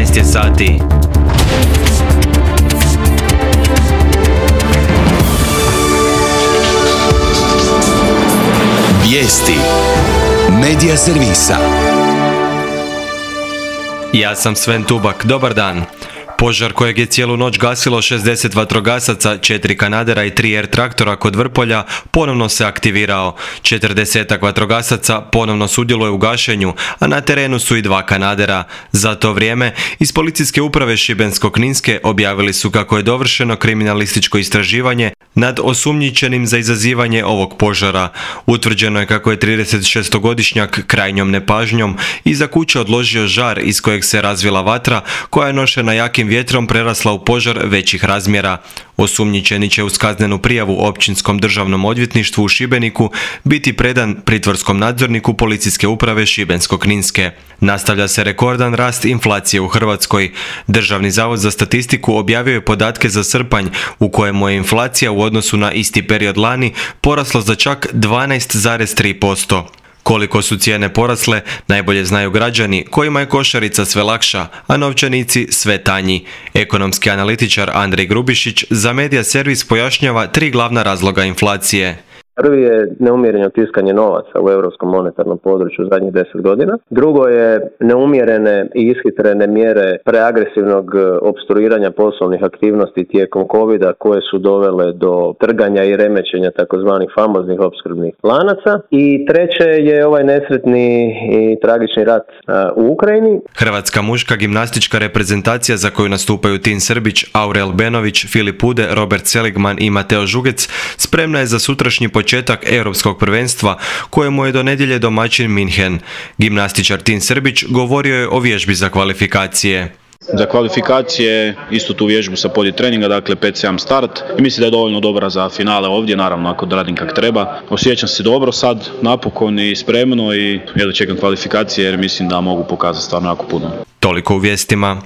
12 je sati. Vijesti Medija servisa. Ja sam Sven Tubak, dobar dan. Požar kojeg je cijelu noć gasilo 60 vatrogasaca, 4 kanadera i 3 R-traktora kod Vrpolja ponovno se aktivirao. 40 vatrogasaca ponovno sudjeluje u gašenju, a na terenu su i 2 kanadera. Za to vrijeme iz policijske uprave Šibensko-kninske objavili su kako je dovršeno kriminalističko istraživanje nad osumnjičenim za izazivanje ovog požara. Utvrđeno je kako je 36-godišnjak krajnjom nepažnjom iza kuće odložio žar iz kojeg se razvila vatra koja je nošena jakim vjetrom prerasla u požar većih razmjera. Osumnjičeni će uz kaznenu prijavu Općinskom državnom odvjetništvu u Šibeniku biti predan pritvorskom nadzorniku policijske uprave Šibensko-kninske. Nastavlja se rekordan rast inflacije u Hrvatskoj. Državni zavod za statistiku objavio je podatke za srpanj u kojemu je inflacija u odnosu na isti period lani porasla za čak 12,3%. Koliko su cijene porasle, najbolje znaju građani kojima je košarica sve lakša, a novčanici sve tanji. Ekonomski analitičar Andrej Grubišić za Medija servis pojašnjava 3 glavna razloga inflacije. Prvi je neumjereno tiskanje novaca u europskom monetarnom području zadnjih 10 godina. Drugo je neumjerene i ishitrene mjere preagresivnog opstruiranja poslovnih aktivnosti tijekom covida koje su dovele do trganja i remećenja takozvanih famoznih opskrbnih lanaca. I treće je ovaj nesretni i tragični rat u Ukrajini. Hrvatska muška gimnastička reprezentacija za koju nastupaju Tin Srbić, Aurel Benović, Filip Ude, Robert Seligman i Mateo Žugec spremna je za sutrašnji početak europskog prvenstva kojemu je do nedjelje domaćin Minhen. Gimnastičar Tin Srbić govorio je o vježbi za kvalifikacije. Za kvalifikacije istu tu vježbu sa podi treninga, dakle 5-7 start i mislim da je dovoljno dobra za finale ovdje, naravno ako radim kak treba. Osjećam se dobro sad, napokon i spremno i jedva čekam kvalifikacije jer mislim da mogu pokazati stvarno jako puno. Toliko u vijestima.